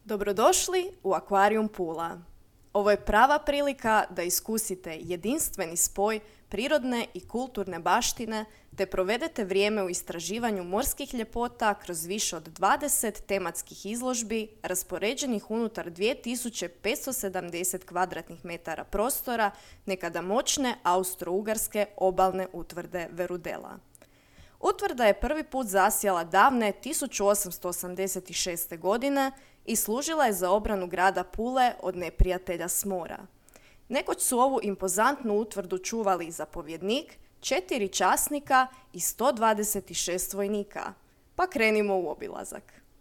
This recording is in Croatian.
Dobrodošli u Akvarijum Pula. Ovo je prava prilika da iskusite jedinstveni spoj prirodne i kulturne baštine te provedete vrijeme u istraživanju morskih ljepota kroz više od 20 tematskih izložbi raspoređenih unutar 2570 kvadratnih metara prostora nekada moćne austro-ugarske obalne utvrde Verudela. Utvrda je prvi put zasjala davne 1886. godine i služila je za obranu grada Pule od neprijatelja s mora. Nekoć su ovu impozantnu utvrdu čuvali zapovjednik, 4 časnika i 126 vojnika. Pa krenimo u obilazak.